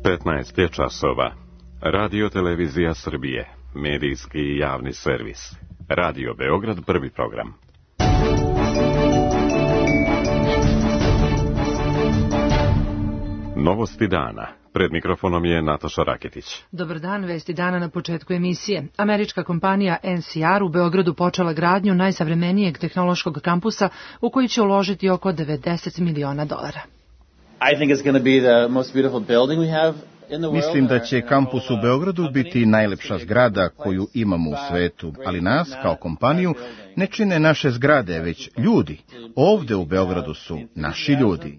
15 je časova. Radio Televizija Srbije, medijski i javni servis. Radio Beograd, prvi program. Novosti dana. Pred mikrofonom je Nataša Raketić. Dobar dan, vesti dana na početku emisije. Američka kompanija NCR u Beogradu počela gradnju najsavremenijeg tehnološkog kampusa u koji će uložiti oko $90 miliona. Mislim da će kampus u Beogradu biti najlepša zgrada koju imamo u svetu, ali nas, kao kompaniju, ne čine naše zgrade, već ljudi. Ovde u Beogradu su naši ljudi.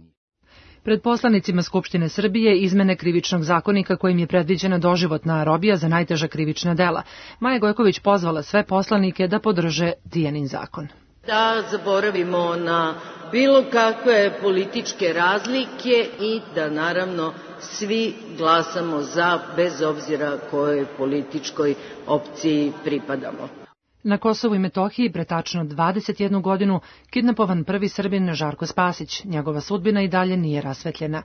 Pred poslanicima Skupštine Srbije izmene krivičnog zakonika kojim je predviđena doživotna robija za najteža krivična dela. Maja Gojković pozvala sve poslanike da podrže Tijanin zakon. Da zaboravimo na bilo kakve političke razlike i da naravno svi glasamo za, bez obzira kojoj političkoj opciji pripadamo. Na Kosovu i Metohiji pre tačno 21 godinu kidnapovan prvi Srbin Žarko Spasić. Njegova sudbina i dalje nije rasvetljena.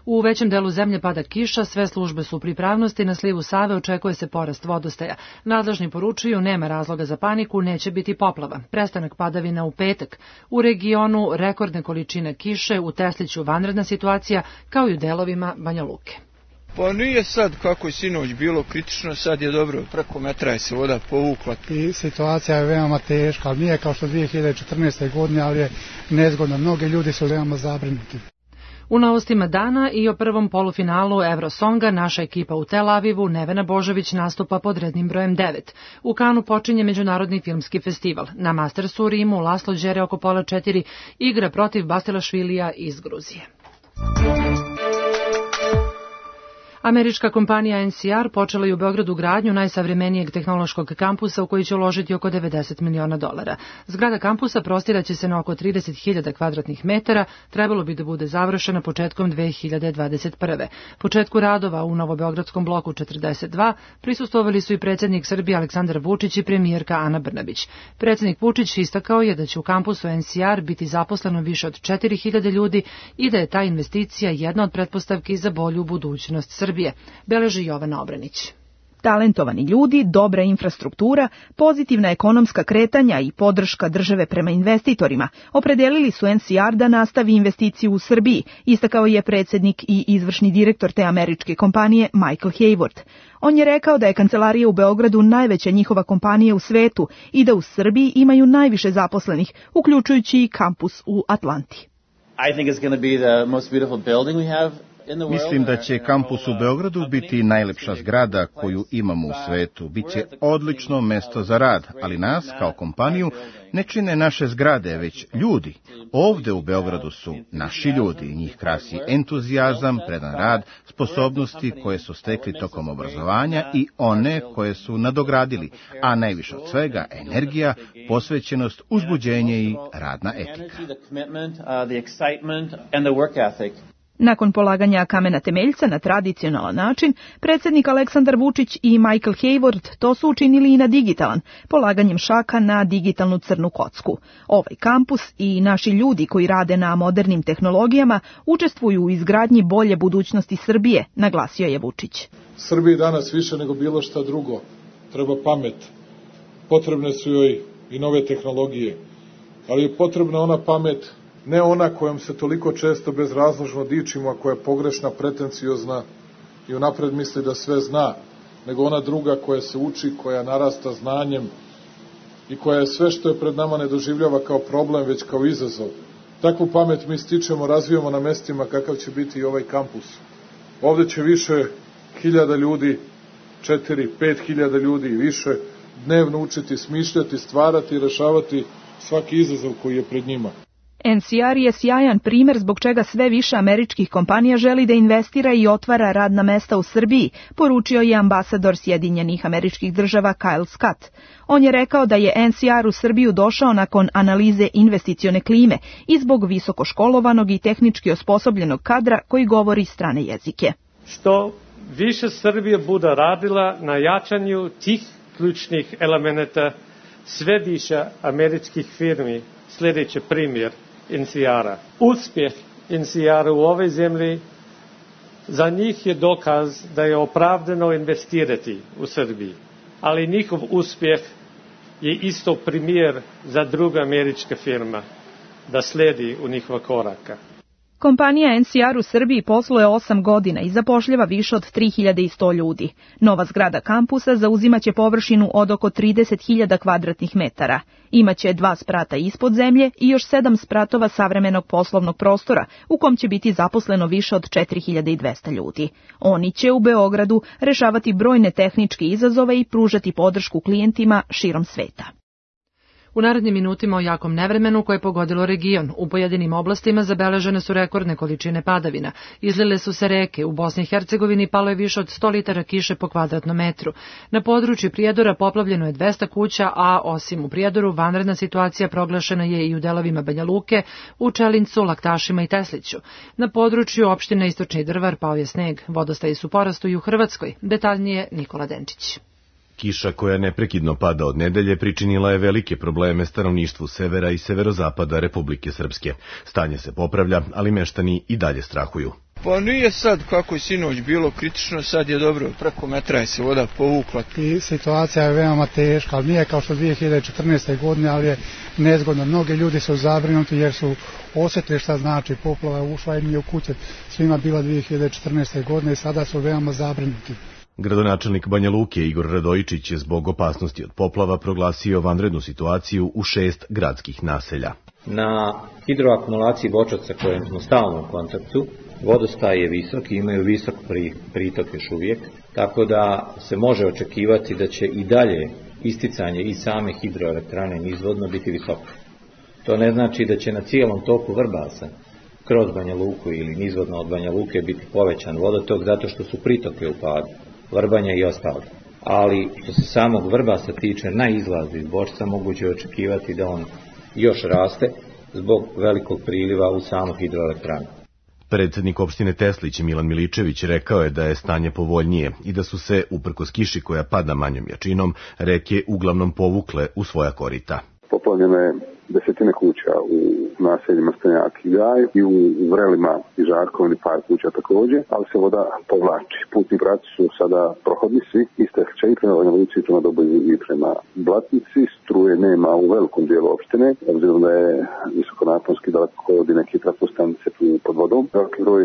U većem delu zemlje pada kiša, sve službe su u pripravnosti, na slivu Save očekuje se porast vodostaja. Nadležni poručuju, nema razloga za paniku, neće biti poplava. Prestanak padavina u petak. U regionu rekordne količine kiše, u Tesliću vanredna situacija, kao i u delovima Banja Luke. Pa nije sad kako je sinoć bilo kritično, sad je dobro, preko metra je se voda povukla. I situacija je veoma teška, ali nije kao što 2014. godine, ali je nezgodno. Mnogi ljudi su veoma zabrinuti. U novostima dana i o prvom polufinalu Eurosonga naša ekipa u Tel Avivu, Nevena Božović, nastupa pod rednim brojem 9. U Kanu počinje Međunarodni filmski festival. Na Mastersu u Rimu Laslo Đere oko pola 4 igra protiv Bastilašvilija iz Gruzije. Američka kompanija NCR počela je u Beogradu gradnju najsavremenijeg tehnološkog kampusa u koji će uložiti oko $90 miliona. Zgrada kampusa prostiraće se na oko 30.000 kvadratnih metara, trebalo bi da bude završena početkom 2021. Početku radova u Novobeogradskom bloku 42 prisustvovali su i predsjednik Srbije Aleksandar Vučić i premijerka Ana Brnabić. Predsjednik Vučić istakao je da će u kampusu NCR biti zaposleno više od 4.000 ljudi i da je ta investicija jedna od pretpostavki za bolju budućnost Srbije. Beleži Jovana Obranić. Talentovani ljudi, dobra infrastruktura, pozitivna ekonomska kretanja i podrška države prema investitorima opredelili su NCR da nastavi investiciju u Srbiji, istakao je predsjednik i izvršni direktor te američke kompanije Michael Hayward. On je rekao da je kancelarija u Beogradu najveća njihova kompanija u svetu i da u Srbiji imaju najviše zaposlenih, uključujući i kampus u Atlanti. Mislim da će kampus u Beogradu biti najlepša zgrada koju imamo u svetu. Biće odlično mesto za rad, ali nas, kao kompaniju, ne čine naše zgrade, već ljudi. Ovde u Beogradu su naši ljudi. Njih krasi entuzijazam, predan rad, sposobnosti koje su stekli tokom obrazovanja i one koje su nadogradili, a najviše od svega energija, posvećenost, uzbuđenje i radna etika. Nakon polaganja kamena temeljca na tradicionalan način, predsjednik Aleksandar Vučić i Michael Hayward to su učinili i na digitalan, polaganjem šaka na digitalnu crnu kocku. Ovaj kampus i naši ljudi koji rade na modernim tehnologijama učestvuju u izgradnji bolje budućnosti Srbije, naglasio je Vučić. Srbiji danas više nego bilo šta drugo treba pamet. Potrebne su joj i nove tehnologije, ali je potrebna ona pamet, ne ona kojom se toliko često bezrazložno dičimo, a koja je pogrešna, pretenciozna i unapred misli da sve zna, nego ona druga koja se uči, koja narasta znanjem i koja je sve što je pred nama ne doživljava kao problem, već kao izazov. Takvu pamet mi stičemo, razvijamo na mestima kakav će biti i ovaj kampus. Ovde će više hiljada ljudi, 4-5 ljudi i više, dnevno učiti, smišljati, stvarati i rešavati svaki izazov koji je pred njima. NCR je sjajan primjer zbog čega sve više američkih kompanija želi da investira i otvara radna mesta u Srbiji, poručio je ambasador Sjedinjenih Američkih Država Kyle Scott. On je rekao da je NCR u Srbiju došao nakon analize investicione klime i zbog visokoškolovanog i tehnički osposobljenog kadra koji govori strane jezike. Što više Srbija bude radila na jačanju tih ključnih elemenata, sve više američkih firmi, sljedeći primjer NCR-a. Uspjeh NCR-a u ovoj zemlji Za njih je dokaz da je opravdano investirati u Srbiji, ali njihov uspjeh je isto primjer za druga američka firma da slijedi u njihova koraka. Kompanija NCR u Srbiji posluje 8 godina i zapošljava više od 3100 ljudi. Nova zgrada kampusa zauzimaće površinu od oko 30.000 kvadratnih metara. Imaće 2 sprata ispod zemlje i još 7 spratova savremenog poslovnog prostora, u kom će biti zaposleno više od 4200 ljudi. Oni će u Beogradu rešavati brojne tehničke izazove i pružati podršku klijentima širom sveta. U narednim minutima o jakom nevremenu koje je pogodilo region. U pojedinim oblastima zabeležene su rekordne količine padavina. Izlile su se reke. U Bosni i Hercegovini palo je više od 100 litara kiše po kvadratnom metru. Na području Prijedora poplavljeno je 200 kuća, a osim u Prijedoru vanredna situacija proglašena je i u delovima Banja Luke, u Čelincu, Laktašima i Tesliću. Na području opštine Istočni Drvar pao je sneg. Vodostaji su porastu i u Hrvatskoj. Detaljnije Nikola Denčić. Kiša koja neprekidno pada od nedelje pričinila je velike probleme stanovništvu severa i severozapada Republike Srpske. Stanje se popravlja, ali meštani i dalje strahuju. Pa nije sad kako je sinoć bilo kritično, sad je dobro, preko metra je se voda povukla. I situacija je veoma teška, ali nije kao što 2014. godine, ali je nezgodno. Mnogi ljudi su zabrinuti jer su osjetili šta znači poplava, ušla im je u kuće, svima bila 2014. godine i sada su veoma zabrinuti. Gradonačelnik Banja Luke Igor Radojičić je zbog opasnosti od poplava proglasio vanrednu situaciju u 6 gradskih naselja. Na hidroakumulaciji Bočac sa kojim smo stalno u kontaktu, vodostaj je visok i imaju visok pritok još uvijek, tako da se može očekivati da će i dalje isticanje i same hidroelektrane nizvodno biti visoko. To ne znači da će na cijelom toku Vrbasa kroz Banja Luku ili nizvodno od Banja Luke biti povećan vodotok zato što su pritoke u padu. Vrbanja i ostalo. Ali što se samog Vrbasa tiče na izlazu iz Bočca moguće očekivati da on još raste zbog velikog priliva u samu hidroelektranu. Predsjednik opštine Teslić Milan Miličević rekao je da je stanje povoljnije i da su se, uprkos kiši koja pada manjom jačinom, reke uglavnom povukle u svoja korita. Poplavljeno je desetine kuća u naseljima Stanjak i Gaj i u Vrelima i Žarkovini par kuća također, ali se voda povlači. Putni pravci su sada prohodni svi, isteče i prema Banja Luci, prema Doboju i prema Blatnici. Struje nema u velikom dijelu opštine, obzirom da je visokonaponski daleko od neke trafostanice pod vodom. Veliki broj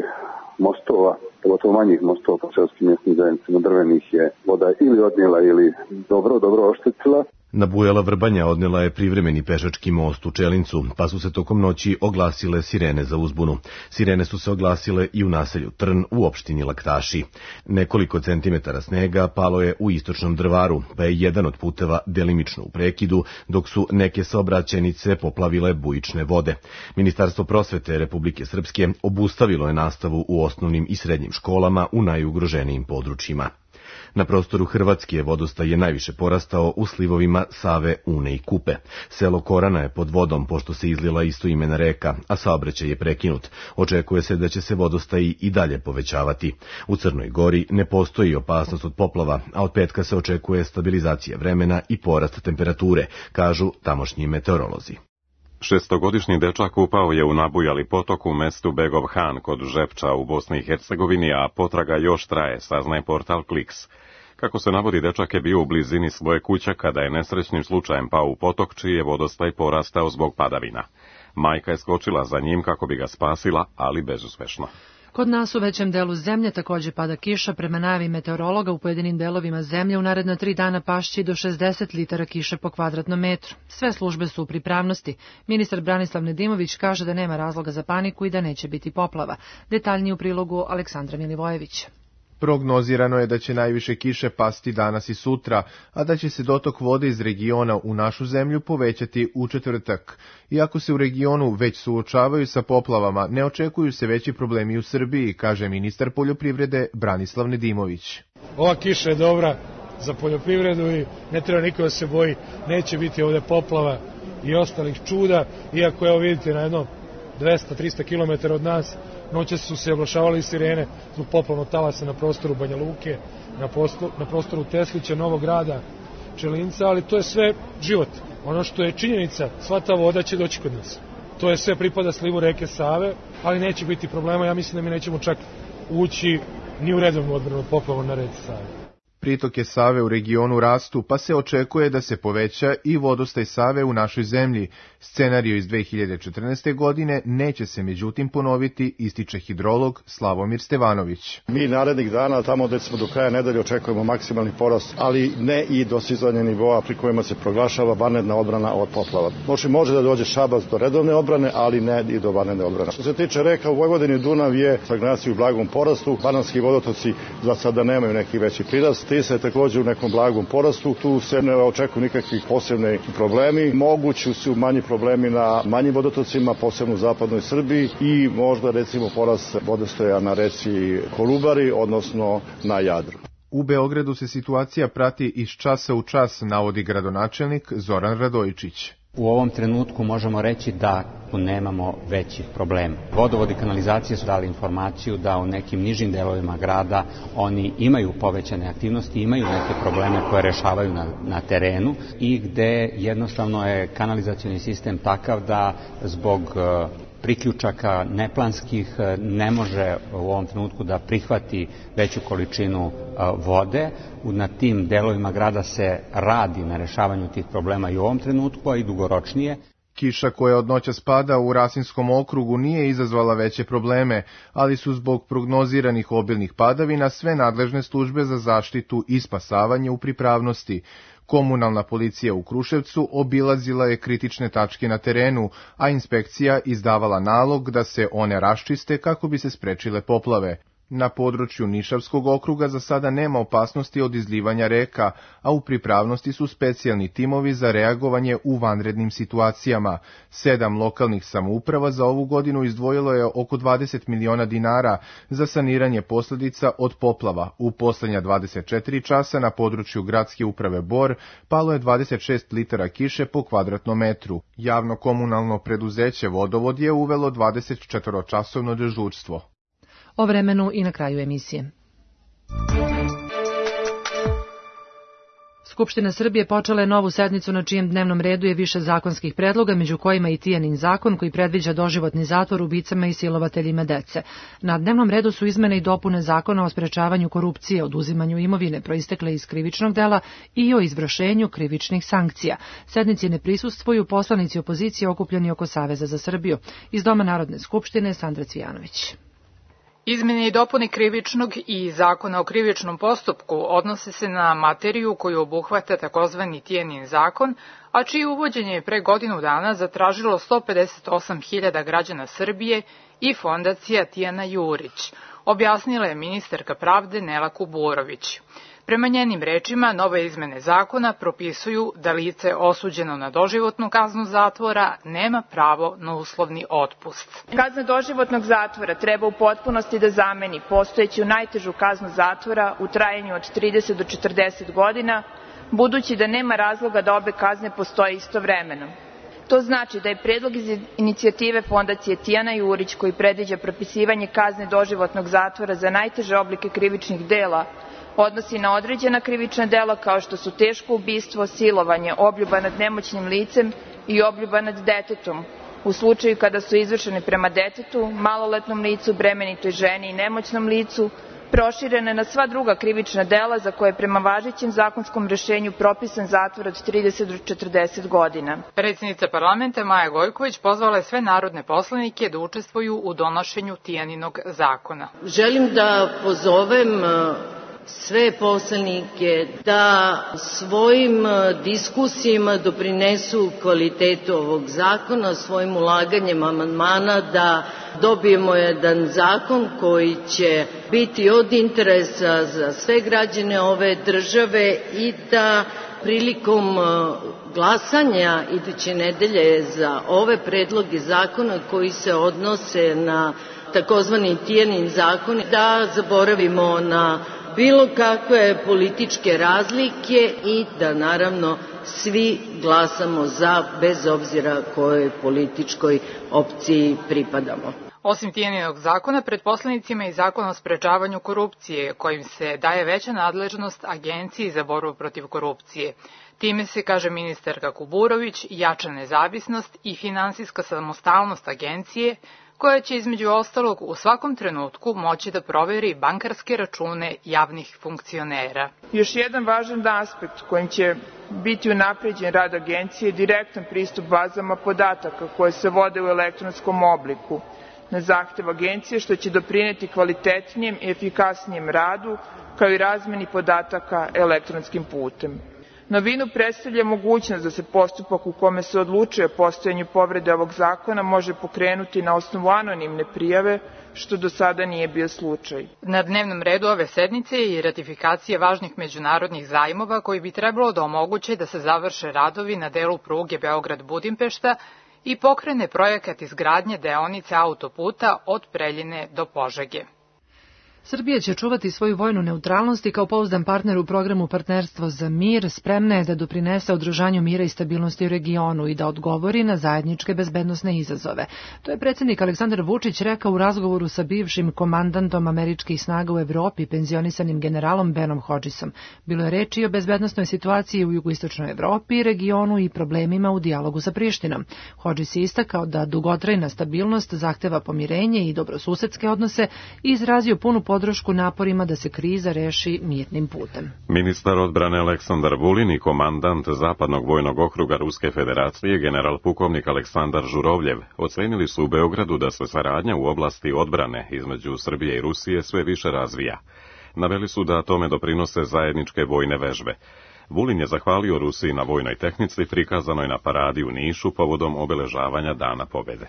mostova, pogotovo manjih mostova po seoskim mjesnim zajednicama drvenih je voda ili odnijela ili dobro oštetila. Nabujala Vrbanja odnela je privremeni pešački most u Čelincu, pa su se tokom noći oglasile sirene za uzbunu. Sirene su se oglasile i u naselju Trn u opštini Laktaši. Nekoliko centimetara snega palo je u istočnom Drvaru, pa je jedan od puteva delimično u prekidu, dok su neke saobraćajnice poplavile bujične vode. Ministarstvo prosvete Republike Srpske obustavilo je nastavu u osnovnim i srednjim školama u najugroženijim područjima. Na prostoru Hrvatske vodostaj je najviše porastao u slivovima Save, Une i Kupe. Selo Korana je pod vodom pošto se izlila istoimena reka, a saobraćaj je prekinut. Očekuje se da će se vodostaji i dalje povećavati. U Crnoj Gori ne postoji opasnost od poplava, a od petka se očekuje stabilizacija vremena i porast temperature, kažu tamošnji meteorolozi. 6-godišnji dečak upao je u nabujali potok u mestu Begov Han kod Žepča u Bosni i Hercegovini, a potraga još traje, saznaje portal Kliks. Kako se navodi, dečak je bio u blizini svoje kuće kada je nesrećnim slučajem pao u potok, čiji je vodostaj porastao zbog padavina. Majka je skočila za njim kako bi ga spasila, ali bezuspešno. Kod nas u većem delu zemlje također pada kiša. Prema najavi meteorologa u pojedinim delovima zemlje u naredna 3 dana pašće do 60 litara kiše po kvadratnom metru. Sve službe su u pripravnosti. Ministar Branislav Nedimović kaže da nema razloga za paniku i da neće biti poplava. Detaljnije u prilogu Aleksandra Milivojevića. Prognozirano je da će najviše kiše pasti danas i sutra, a da će se dotok vode iz regiona u našu zemlju povećati u četvrtak. Iako se u regionu već suočavaju sa poplavama, ne očekuju se veći problemi u Srbiji, kaže ministar poljoprivrede Branislav Nedimović. Ova kiša je dobra za poljoprivredu i ne treba niko da se boji, neće biti ovdje poplava i ostalih čuda, iako evo vidite na jednom 200-300 km od nas, noćas su se oglašavali sirene zbog poplavnog talasa na prostoru Banja Luke, na prostoru Teslića, Novog Grada, Čelinca, ali to je sve život. Ono što je činjenica, sva ta voda će doći kod nas. To je sve pripada slivu reke Save, ali neće biti problema, ja mislim da mi nećemo čak ući ni u redovnu odbranu od poplava na reci Save. Pritoke Save u regionu rastu, pa se očekuje da se poveća i vodostaj Save u našoj zemlji. Scenario iz 2014. godine neće se međutim ponoviti, ističe hidrolog Slavomir Stevanović. Mi narednih dana, tamo gde smo do kraja nedelje, očekujemo maksimalni porast, ali ne i dostizanje nivoa pri kojima se proglašava vanredna odbrana od poplava. Može da dođe Šabac do redovne odbrane, ali ne i do vanredne odbrane. Što se tiče reka, u Vojvodini Dunav je stagnaciju u blagom porastu, banatski vodotoci za sada nemaju neki veći prirast. Tisa je također u nekom blagom porastu, tu se ne očekuju nikakvi posebni problemi. Mogući su manji problemi na manjim vodotocima, posebno u zapadnoj Srbiji i možda recimo porast vodostaja na reci Kolubari, odnosno na Jadru. U Beogradu se situacija prati iz časa u čas, navodi gradonačelnik Zoran Radojičić. U ovom trenutku možemo reći da nemamo većih problema. Vodovod i kanalizacije su dali informaciju da u nekim nižim delovima grada oni imaju povećane aktivnosti, imaju neke probleme koje rešavaju na terenu i gde jednostavno je kanalizacioni sistem takav da zbog priključaka neplanskih ne može u ovom trenutku da prihvati veću količinu vode. Na tim delovima grada se radi na rešavanju tih problema i u ovom trenutku, a i dugoročnije. Kiša koja od noća spada u Rasinskom okrugu nije izazvala veće probleme, ali su zbog prognoziranih obilnih padavina sve nadležne službe za zaštitu i spasavanje u pripravnosti. Komunalna policija u Kruševcu obilazila je kritične tačke na terenu, a inspekcija izdavala nalog da se one raščiste kako bi se sprečile poplave. Na području Nišavskog okruga za sada nema opasnosti od izlivanja reka, a u pripravnosti su specijalni timovi za reagovanje u vanrednim situacijama. 7 lokalnih samouprava za ovu godinu izdvojilo je oko 20 miliona dinara za saniranje posljedica od poplava. U poslednja 24 časa na području gradske uprave Bor palo je 26 litara kiše po kvadratnom metru. Javno komunalno preduzeće Vodovod je uvelo 24-časovno dežurstvo. O vremenu i na kraju emisije. Skupština Srbije počela je novu sednicu na čijem dnevnom redu je više zakonskih predloga, među kojima i Tijanin zakon koji predviđa doživotni zatvor ubicama i silovateljima dece. Na dnevnom redu su izmene i dopune zakona o sprečavanju korupcije, oduzimanju imovine proistekle iz krivičnog dela i o izvršenju krivičnih sankcija. Sednici ne prisustvuju poslanici opozicije okupljeni oko Saveza za Srbiju. Iz Doma Narodne skupštine Sandra Cvijanović. Izmene i dopune krivičnog i zakona o krivičnom postupku odnose se na materiju koju obuhvata takozvani Tijanin zakon, a čije uvođenje je pre godinu dana zatražilo 158.000 građana Srbije i fondacija Tijana Jurić, objasnila je ministarka pravde Nela Kuburović. Prema njenim rečima, nove izmene zakona propisuju da lice osuđeno na doživotnu kaznu zatvora nema pravo na uslovni otpust. Kazna doživotnog zatvora treba u potpunosti da zameni postojeću najtežu kaznu zatvora u trajanju od 30 do 40 godina, budući da nema razloga da obe kazne postoje istovremeno. To znači da je predlog iz inicijative fondacije Tijana Jurić koji predviđa propisivanje kazne doživotnog zatvora za najteže oblike krivičnih dela odnosi na određena krivična dela kao što su teško ubistvo, silovanje, obljuba nad nemoćnim licem i obljuba nad detetom, u slučaju kada su izvršene prema detetu, maloletnom licu, bremenitoj ženi i nemoćnom licu, proširene na sva druga krivična dela za koje je prema važećem zakonskom rešenju propisan zatvor od 30 do 40 godina. Predsjednica parlamenta Maja Gojković pozvala je sve narodne poslanike da učestvuju u donošenju Tijaninog zakona. Želim da pozovem sve poslanike da svojim diskusijama doprinesu kvalitetu ovog zakona, svojim ulaganjem amandmana da dobijemo jedan zakon koji će biti od interesa za sve građane ove države i da prilikom glasanja iduće nedelje za ove predloge zakona koji se odnose na takozvani Tijanin zakon, da zaboravimo na bilo kakve političke razlike i da naravno svi glasamo za, bez obzira kojoj političkoj opciji pripadamo. Osim Tijaninog zakona, pred poslanicima je i zakon o sprečavanju korupcije, kojim se daje veća nadležnost Agenciji za borbu protiv korupcije. Time se, kaže ministarka Kuburović, jača nezavisnost i finansijska samostalnost agencije, koja će između ostalog u svakom trenutku moći da proveri bankarske račune javnih funkcionera. Još jedan važan aspekt kojim će biti unapređen rad agencije je direktan pristup bazama podataka koje se vode u elektronskom obliku na zahtev agencije, što će doprineti kvalitetnijem i efikasnijem radu, kao i razmeni podataka elektronskim putem. Novinu predstavlja mogućnost da se postupak u kome se odlučuje o postojanju povrede ovog zakona može pokrenuti na osnovu anonimne prijave, što do sada nije bio slučaj. Na dnevnom redu ove sednice je i ratifikacija važnih međunarodnih zajmova koji bi trebalo da omoguće da se završe radovi na delu pruge Beograd-Budimpešta i pokrene projekat izgradnje deonice autoputa od Preljine do Požege. Srbija će čuvati svoju vojnu neutralnost i kao pouzdan partner u programu Partnerstvo za mir spremna je da doprinese održanju mira i stabilnosti u regionu i da odgovori na zajedničke bezbednosne izazove. To je predsjednik Aleksandar Vučić rekao u razgovoru sa bivšim komandantom američkih snaga u Evropi, penzionisanim generalom Benom Hodgesom. Bilo je reči o bezbednosnoj situaciji u jugoistočnoj Evropi, regionu i problemima u dijalogu sa Prištinom. Hodges je istakao da dugotrajna stabilnost zahteva pomirenje i dobrosusedske odnose i izrazio punu podršku naporima da se kriza reši mirnim putem. Ministar odbrane Aleksandar Vulin i komandant Zapadnog vojnog okruga Ruske federacije, general pukovnik Aleksandar Žurovljev, ocenili su u Beogradu da se saradnja u oblasti odbrane između Srbije i Rusije sve više razvija. Naveli su da tome doprinose zajedničke vojne vežbe. Vulin je zahvalio Rusiji na vojnoj tehnici prikazanoj na paradi u Nišu povodom obeležavanja Dana pobjede.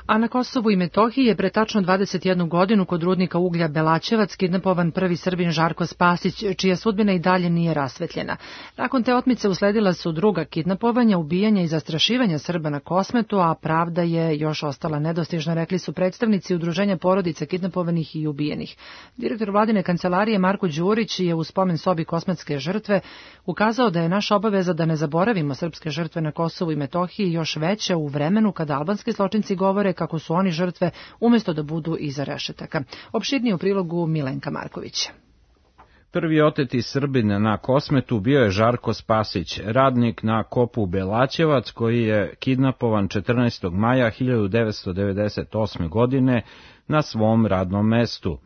A na Kosovu i Metohiji je pre tačno 21 godinu kod rudnika uglja Belačevac kidnapovan prvi Srbin Žarko Spasić, čija sudbina i dalje nije rasvetljena. Nakon te otmice usledila su druga kidnapovanja, ubijanja i zastrašivanja Srba na Kosmetu, a pravda je još ostala nedostižna, rekli su predstavnici Udruženja porodica kidnapovanih i ubijenih. Direktor vladine kancelarije Marko Đurić je u spomen sobi kosmetske žrtve ukazao da je naša obaveza da ne zaboravimo srpske žrtve na Kosovu i Metohiji još veća u vremenu kada albanski zločinci govore kako su oni žrtve umjesto da budu iza rešetaka. Opširnije u prilogu Milenka Markovića. Prvi oteti Srbin na Kosmetu bio je Žarko Spasić, radnik na kopu Belačevac koji je kidnapovan 14. maja 1998. godine na svom radnom mestu.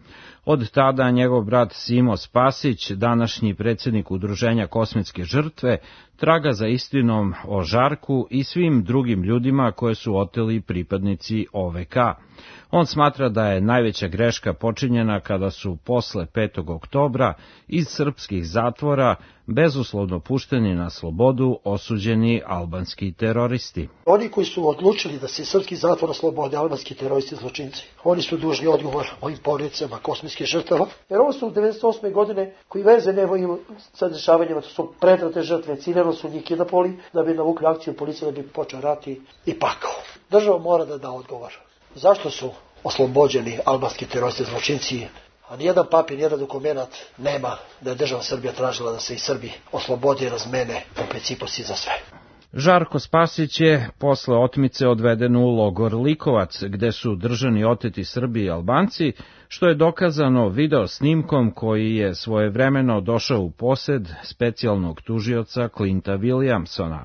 Od tada njegov brat Simo Spasić, današnji predsjednik Udruženja Kosmetske žrtve, traga za istinom o Žarku i svim drugim ljudima koje su oteli pripadnici OVK. On smatra da je najveća greška počinjena kada su posle 5. oktobra iz srpskih zatvora bezuslovno pušteni na slobodu osuđeni albanski teroristi. Oni koji su odlučili da se iz srpskih zatvora oslobode albanski teroristi zločinci, oni su dužni odgovor ovim porodicama kosmetskih žrtava, jer ovo su 1998. godine koji veze nemaju sa dešavanjima, to su pretrate žrtve, ciljano su njih kidnapovali da bi navukli akciju policije, da bi počeo rat i pakao. Država mora da da odgovor. Zašto su oslobođeni albanski teroristi zločinci, a nijedan papir, nijedan dokument nema da je država Srbija tražila da se i Srbi oslobode i razmene po principu si za sve. Žarko Spasić je posle otmice odveden u logor Likovac, gde su držani oteti Srbi i Albanci, što je dokazano video snimkom koji je svojevremeno došao u posed specijalnog tužioca Clinta Williamsona.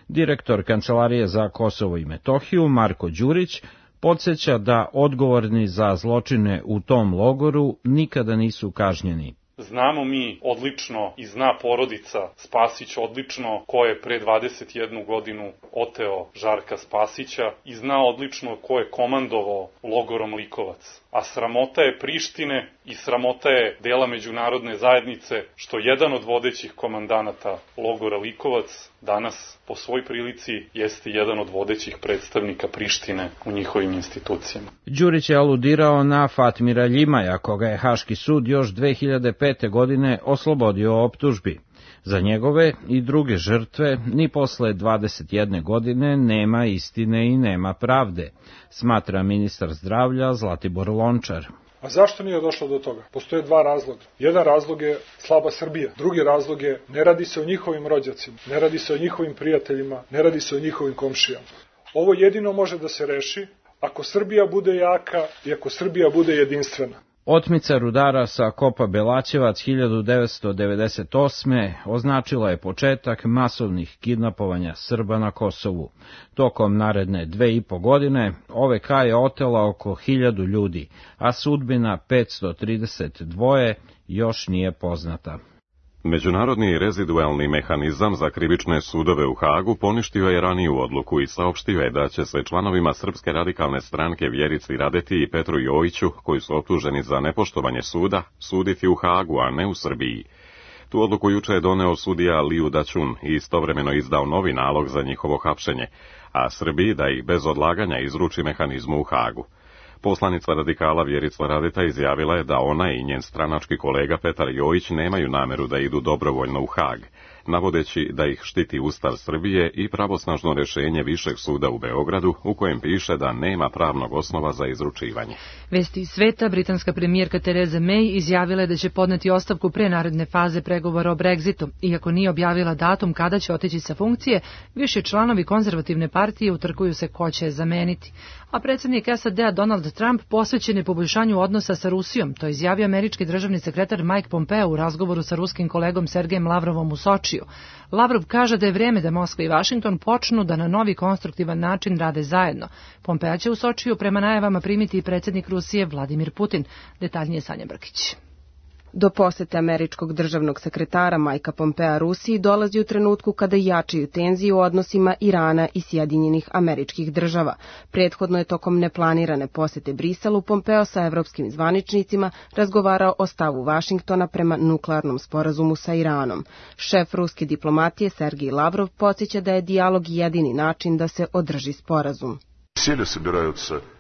Direktor Kancelarije za Kosovo i Metohiju Marko Đurić podsjeća da odgovorni za zločine u tom logoru nikada nisu kažnjeni. Znamo mi odlično i zna porodica Spasić odlično ko je pre 21 godinu oteo Žarka Spasića i zna odlično ko je komandovao logorom Likovac. A sramota je Prištine i sramota je dela međunarodne zajednice što jedan od vodećih komandanata logora Likovac danas po svoj prilici jeste jedan od vodećih predstavnika Prištine u njihovim institucijama. Đurić je aludirao na Fatmira Ljimaja, koga je Haški sud još 2005. godine oslobodio optužbi. Za njegove i druge žrtve ni posle 21 godine nema istine i nema pravde, smatra ministar zdravlja Zlatibor Lončar. A zašto nije došlo do toga? Postoje dva razloga. Jedan razlog je slaba Srbija. Drugi razlog je ne radi se o njihovim rođacima, ne radi se o njihovim prijateljima, ne radi se o njihovim komšijama. Ovo jedino može da se reši ako Srbija bude jaka i ako Srbija bude jedinstvena. Otmica rudara sa kopa Belaćevac 1998. označila je početak masovnih kidnapovanja Srba na Kosovu. Tokom naredne 2,5 godine OVK je otela oko 1000 ljudi, a sudbina 532 još nije poznata. Međunarodni rezidualni mehanizam za krivične sudove u Hagu poništio je raniju odluku i saopštio je da će se članovima Srpske radikalne stranke Vjerici Radeti i Petru Jojiću, koji su optuženi za nepoštovanje suda, suditi u Hagu, a ne u Srbiji. Tu odluku juče je doneo sudija Liu Daćun i istovremeno izdao novi nalog za njihovo hapšenje, a Srbiji da ih bez odlaganja izruči mehanizmu u Hagu. Poslanica radikala Vjerica Radeta izjavila je da ona i njen stranački kolega Petar Jojić nemaju nameru da idu dobrovoljno u Hag, navodeći da ih štiti Ustav Srbije i pravosnažno rješenje Višeg suda u Beogradu u kojem piše da nema pravnog osnova za izručivanje. Vesti iz sveta, britanska premijerka Theresa May izjavila je da će podneti ostavku pre naredne faze pregovora o Brexitu. Iako nije objavila datum kada će otići sa funkcije, više članovi konzervativne partije utrkuju se ko će je zameniti. A predsjednik SAD-a Donald Trump posvećen je poboljšanju odnosa sa Rusijom, to je izjavio američki državni sekretar Mike Pompeo u razgovoru sa ruskim kolegom Sergejem Lavrovom u Sočiju. Lavrov kaže da je vrijeme da Moskva i Vašington počnu da na novi konstruktivan način rade zajedno. Pompeo će u Sočiju prema najavama primiti i predsjednik Rusije Vladimir Putin. Detaljnije Sanja Brkić. Do posete američkog državnog sekretara Majka Pompea Rusiji dolazi u trenutku kada jačaju tenzije u odnosima Irana i Sjedinjenih Američkih Država. Prethodno je tokom neplanirane posete Briselu Pompeo sa evropskim zvaničnicima razgovarao o stavu Vašingtona prema nuklearnom sporazumu sa Iranom. Šef ruske diplomatije Sergej Lavrov podsjeća da je dijalog jedini način da se održi sporazum.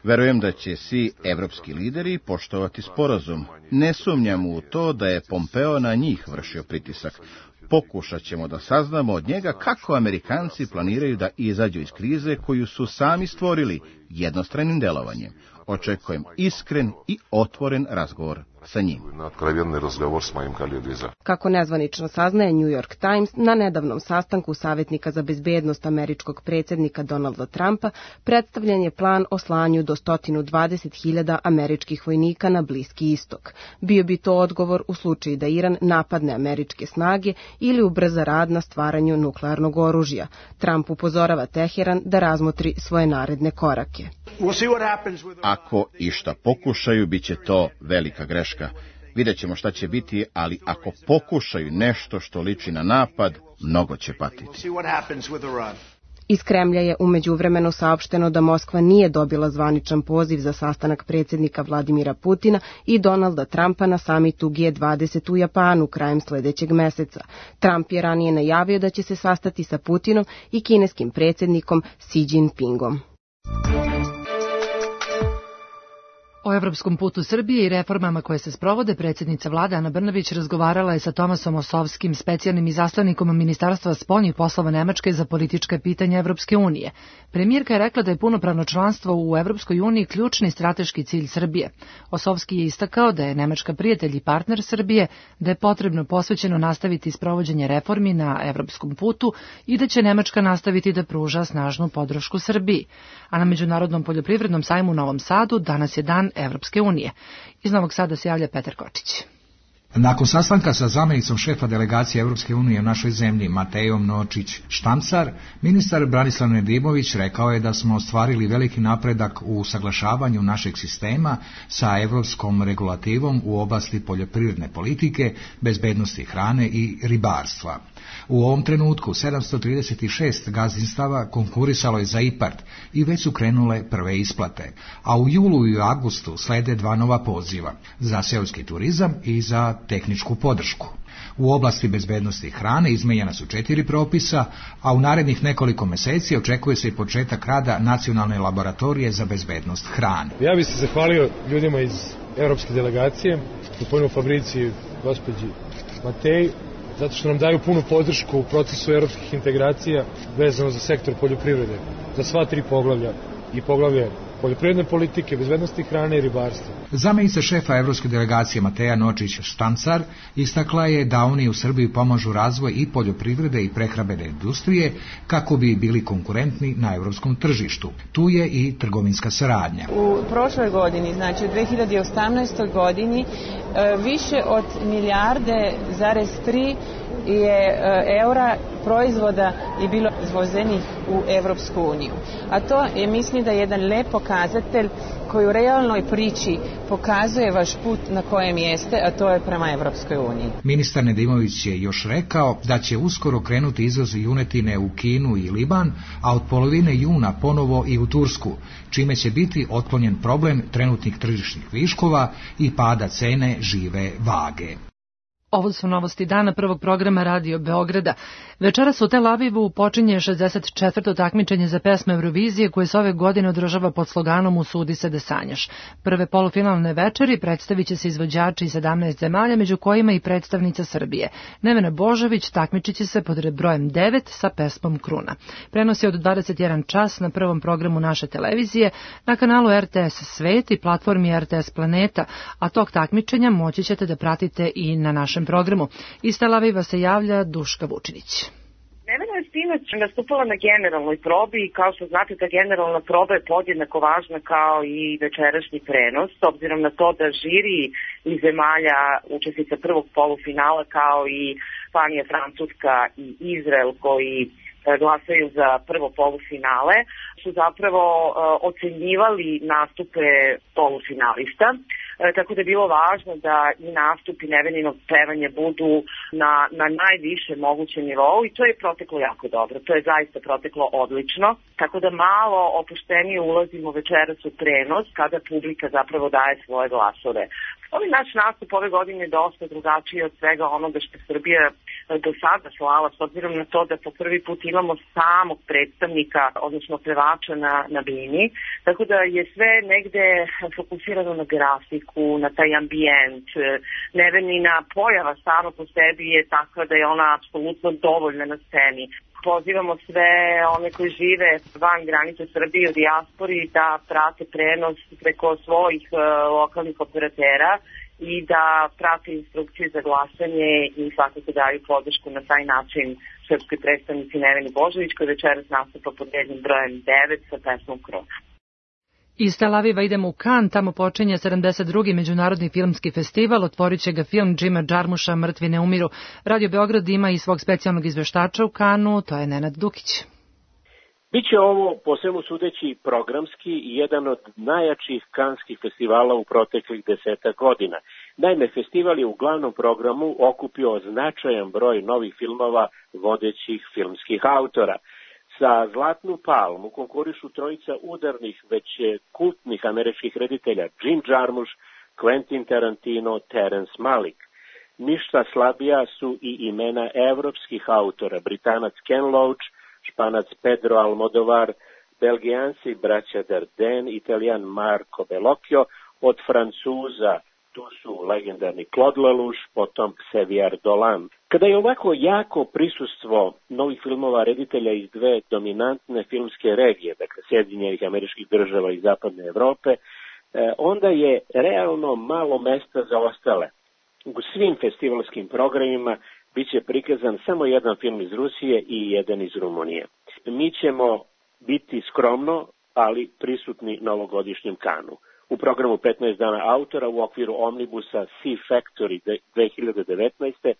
Verujem da će svi evropski lideri poštovati sporazum. Ne sumnjam u to da je Pompeo na njih vršio pritisak. Pokušat ćemo da saznamo od njega kako Amerikanci planiraju da izađu iz krize koju su sami stvorili jednostranim delovanjem. Očekujem iskren i otvoren razgovor sa njim. Kako nezvanično saznaje New York Times, na nedavnom sastanku savjetnika za bezbednost američkog predsjednika Donalda Trumpa predstavljen je plan o slanju do 120.000 američkih vojnika na Bliski istok. Bio bi to odgovor u slučaju da Iran napadne američke snage ili ubrza rad na stvaranju nuklearnog oružja. Trump upozorava Teheran da razmotri svoje naredne korake. Ako išta pokušaju, bit će to velika greška. Vidjet ćemo šta će biti, ali ako pokušaju nešto što liči na napad, mnogo će patiti. Iz Kremlja je u međuvremenu saopšteno da Moskva nije dobila zvaničan poziv za sastanak predsjednika Vladimira Putina i Donalda Trumpa na samitu G20 u Japanu krajem sljedećeg meseca. Trump je ranije najavio da će se sastati sa Putinom i kineskim predsjednikom Xi Jinpingom. O evropskom putu Srbije i reformama koje se sprovode, predsjednica vlade Ana Brnabić razgovarala je sa Tomasom Osovskim, specijalnim izaslanikom Ministarstva spoljnih poslova Nemačke za politička pitanja Evropske unije. Premijerka je rekla da je punopravno članstvo u Evropskoj uniji ključni strateški cilj Srbije. Osovski je istakao da je Nemačka prijatelj i partner Srbije, da je potrebno posvećeno nastaviti sprovođenje reformi na evropskom putu i da će Nemačka nastaviti da pruža snažnu podršku Srbiji. A na Međunarodnom poljoprivrednom sajmu u Novom Sadu danas je dan Evropske unije. Iz Novog Sada se javlja Petar Kočić. Nakon sastanka sa zamjenicom šefa delegacije Evropske unije u našoj zemlji Matejom Nočić-Štamcar, ministar Branislav Nedimović rekao je da smo ostvarili veliki napredak u usaglašavanju našeg sistema sa evropskom regulativom u oblasti poljoprivredne politike, bezbednosti hrane i ribarstva. U ovom trenutku 736 gazdinstava konkurisalo je za IPARD i već su krenule prve isplate, a u julu i avgustu slede 2 nova poziva za seoski turizam i za tehničku podršku. U oblasti bezbednosti hrane izmenjena su 4 propisa, a u narednih nekoliko meseci očekuje se i početak rada Nacionalne laboratorije za bezbednost hrane. Ja bih se zahvalio ljudima iz evropske delegacije, gospodinu Fabriciju i gospođi Mateji, zato što nam daju punu podršku u procesu evropskih integracija vezano za sektor poljoprivrede, za sva 3 poglavlja, i poglavlje poljoprivredne politike, bezbednosti hrane i ribarstva. Zamenica šefa evropske delegacije Mateja Nočić-Štancar istakla je da oni u Srbiji pomažu razvoj i poljoprivrede i prehrambene industrije kako bi bili konkurentni na evropskom tržištu. Tu je i trgovinska saradnja. U prošloj godini, znači u 2018. godini, više od milijarde zarez 3 je eura proizvoda i bilo izvozenih u Evropsku uniju. A to je, mislim, da je jedan lep pokazatelj koji u realnoj priči pokazuje vaš put na kojem jeste, a to je prema Evropskoj uniji. Ministar Nedimović je još rekao da će uskoro krenuti izvoz junetine u Kinu i Liban, a od polovine juna ponovo i u Tursku, čime će biti otklonjen problem trenutnih tržišnih viškova i pada cene žive vage. Ovo su novosti dana prvog programa Radio Beograda. Večeras u Tel Avivu počinje 64. takmičenje za pesme Eurovizije koje se ove godine održava pod sloganom Usudi se da sanjaš. Prve polufinalne večeri predstavit će se izvođači iz 17 zemalja, među kojima i predstavnica Srbije. Nevena Božović takmičit će se pod brojem 9 sa pesmom Kruna. Prenos je od 21 čas na prvom programu naše televizije, na kanalu RTS Svet i platformi RTS Planeta, a tog takmičenja moći ćete da pratite i na našem programu. Iz Tel Aviva se javlja Duška Vučinić. Nevena je sinoć nastupala na generalnoj probi i kao što znate ta generalna proba je podjednako važna kao i večerašnji prenos, s obzirom na to da žiri iz zemalja učesnica prvog polufinala kao i Španija, Francuska i Izrael koji glasaju za prvo polufinale su zapravo ocenjivali nastupe polufinalista. Tako da je bilo važno da i nastupi Neveninog pevanja budu na najvišem mogućem nivou i to je proteklo jako dobro. To je zaista proteklo odlično. Tako da malo opuštenije ulazimo večeras u prenos kada publika zapravo daje svoje glasove. Ovaj naš nastup ove godine je dosta drugačiji od svega onoga što Srbija do sada slala, s obzirom na to da po prvi put imamo samog predstavnika, odnosno pevača na bini, tako da je sve negde fokusirano na grafiku, na taj ambijent. Nevenina pojava sama po sebi je takva da je ona apsolutno dovoljna na sceni. Pozivamo sve one koji žive van granice Srbije u dijaspori da prate prenos preko svojih lokalnih operatera i da prate instrukcije za glasanje i svakako daju podršku na taj način srpskoj predstavnici Neveni Božović koja večeras nastupa pod rednim brojem 9 sa pesmom Kruna. Iz Tel Aviva idemo u Kan, tamo počinje 72. Međunarodni filmski festival, otvorit će ga film Džima Džarmuša Mrtvi ne umiru. Radio Beograd ima i svog specijalnog izveštača u Kanu, to je Nenad Dukić. Biće ovo, po svemu sudeći, programski i jedan od najjačih kanskih festivala u proteklih 10 godina. Naime, festival je u glavnom programu okupio značajan broj novih filmova vodećih filmskih autora. Za Zlatnu palmu konkurišu trojica udarnih, već kultnih američkih reditelja Jim Jarmusch, Quentin Tarantino, Terence Malick. Ništa slabija su i imena evropskih autora, Britanac Ken Loach, Španac Pedro Almodovar, Belgijanci braća Dardenne, Italijan Marco Bellocchio, od Francuza tu su legendarni Claude Lelouch, potom Xavier Dolan. Kada je ovako jako prisustvo novih filmova reditelja iz dve dominantne filmske regije, dakle Sjedinjenih Američkih Država i Zapadne Evrope, onda je realno malo mesta za ostale. U svim festivalskim programima biće prikazan samo jedan film iz Rusije i jedan iz Rumunije. Mi ćemo biti skromno, ali prisutni na ovogodišnjem Kanu. U programu 15 dana autora u okviru omnibusa Sea Factory 2019.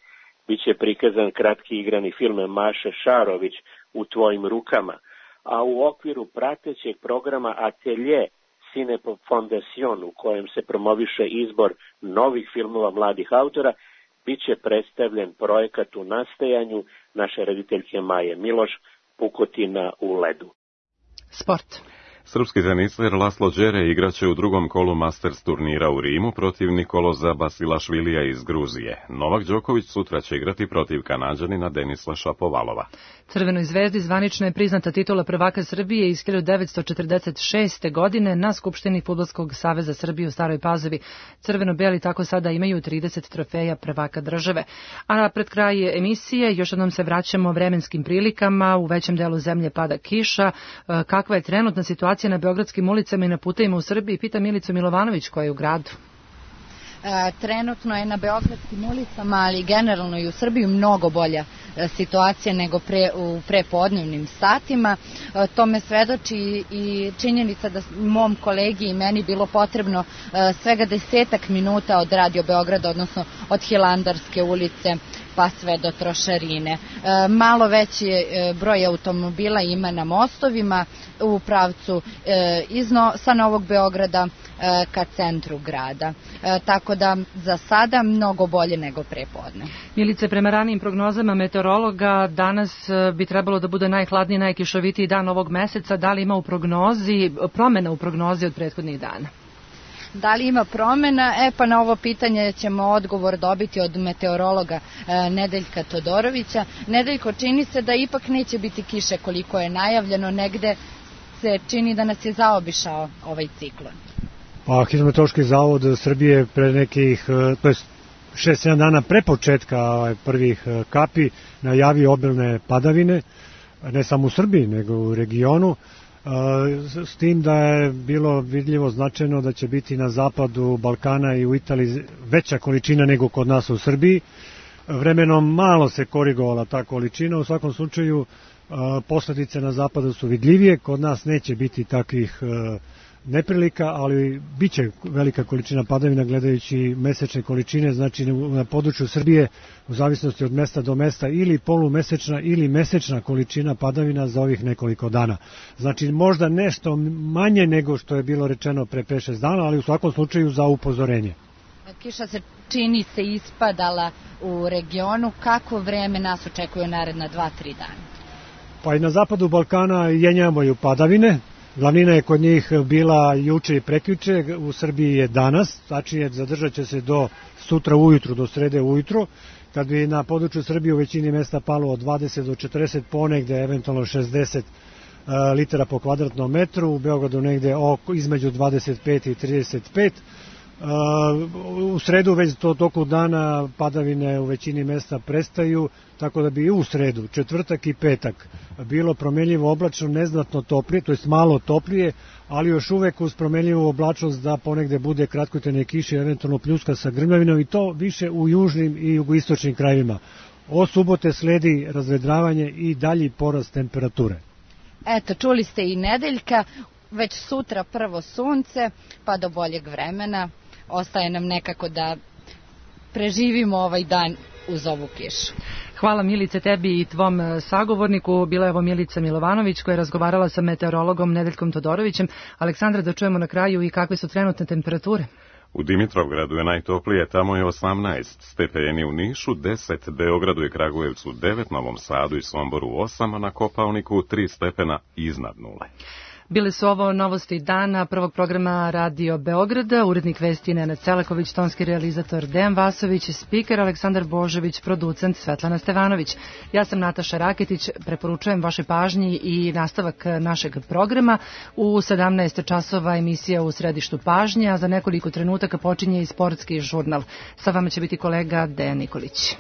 biće prikazan kratki igrani film Maše Šarović U tvojim rukama, a u okviru pratećeg programa Atelier Cine Fondation, u kojem se promoviše izbor novih filmova mladih autora, biće predstavljen projekat u nastajanju naše rediteljke Maje Miloš, Pukotina u ledu. Sport. Srpski teniser Laslo Đere igraće u drugom kolu Masters turnira u Rimu protiv Nikoloza Basilašvilija iz Gruzije. Novak Đoković sutra će igrati protiv Kanađanina Denisa Šapovalova. Crvenoj zvezdi zvanično je priznata titula prvaka Srbije iz 1946. godine na Skupštini Fudbalskog saveza Srbije u Staroj Pazovi. Crveno-beli tako sada imaju 30 trofeja prvaka države. A pred kraj emisije još jednom se vraćamo vremenskim prilikama. U većem delu zemlje pada kiša. Kakva je trenutna situacija situacija na beogradskim ulicama i na putevima u Srbiji, pita Milicu Milovanović koja je u gradu. Trenutno je na beogradskim ulicama, ali generalno i u Srbiji mnogo bolja situacija nego u prepodnevnim satima. Tome svedoči i činjenica da mom kolegi i meni bilo potrebno svega 10 minuta od Radio Beograda, odnosno od Hilandarske ulice pa sve do Trošarine. Malo veći broj automobila ima na mostovima u pravcu sa Novog Beograda ka centru grada. Tako da za sada mnogo bolje nego prepodne. Milice, prema ranijim prognozama meteorologa, danas bi trebalo da bude najhladniji, najkišovitiji dan ovog meseca. Da li ima promena u prognozi od prethodnih dana? Da li ima promena? Pa na ovo pitanje ćemo odgovor dobiti od meteorologa Nedeljka Todorovića. Nedeljko, čini se da ipak neće biti kiše koliko je najavljeno, negde se čini da nas je zaobišao ovaj ciklon. Pa Hidrometeorološki zavod Srbije pre nekih, to je 6-7 dana pre početka prvih kapi najavio obilne padavine, ne samo u Srbiji nego u regionu, s tim da je bilo vidljivo značajno da će biti na zapadu Balkana i u Italiji veća količina nego kod nas u Srbiji. Vremenom malo se korigovala ta količina, u svakom slučaju posledice na zapadu su vidljivije, kod nas neće biti takvih neprilika, ali bit će velika količina padavina gledajući mesečne količine, znači na području Srbije u zavisnosti od mesta do mesta ili polumesečna ili mesečna količina padavina za ovih nekoliko dana. Znači možda nešto manje nego što je bilo rečeno pre 5-6 dana, ali u svakom slučaju za upozorenje. Kiša se čini se ispadala u regionu. Kako vreme nas očekuje naredna 2-3 dana? Pa i na zapadu Balkana jenjavaju padavine. Glavnina je kod njih bila juče i prekjuče, u Srbiji je danas, tačnije zadržat će se do sutra ujutru, do srede ujutru, kad bi na području Srbije u većini mesta palo od 20 do 40, ponegde eventualno 60 litara po kvadratnom metru, u Beogradu negde između 25 i 35. U sredu već toku dana padavine u većini mesta prestaju, tako da bi i u sredu, četvrtak i petak bilo promenljivo oblačno, neznatno toplije, to jest malo toplije, ali još uvek uz promenljivu oblačnost da ponegde bude kratkotene kiše, eventualno pljuska sa grmljavinom i to više u južnim i jugoistočnim krajevima. Od subote sledi razvedravanje i dalji porast temperature. Eto, čuli ste i Nedeljka, već sutra prvo sunce, pa do boljeg vremena. Ostaje nam nekako da preživimo ovaj dan uz ovu kišu. Hvala Milice tebi i tvom sagovorniku. Bila je ovo Milica Milovanović koja je razgovarala sa meteorologom Nedeljkom Todorovićem. Aleksandra, da čujemo na kraju i kakve su trenutne temperature. U Dimitrovgradu je najtoplije, tamo je 18 stepeni, u Nišu 10, Beogradu i Kragujevcu 9, Novom Sadu i Somboru 8, a na Kopaoniku 3 stepena iznad nule. Bile su ovo novosti dana prvog programa Radio Beograda, urednik vesti Nenad Selaković, tonski realizator Dejan Vasović, spiker Aleksandar Božović, producent Svetlana Stevanović. Ja sam Nataša Raketić, preporučujem vašoj pažnji i nastavak našeg programa. U 17 časova emisija U središtu pažnje, a za nekoliko trenutaka počinje i sportski žurnal. Sa vama će biti kolega Dejan Nikolić.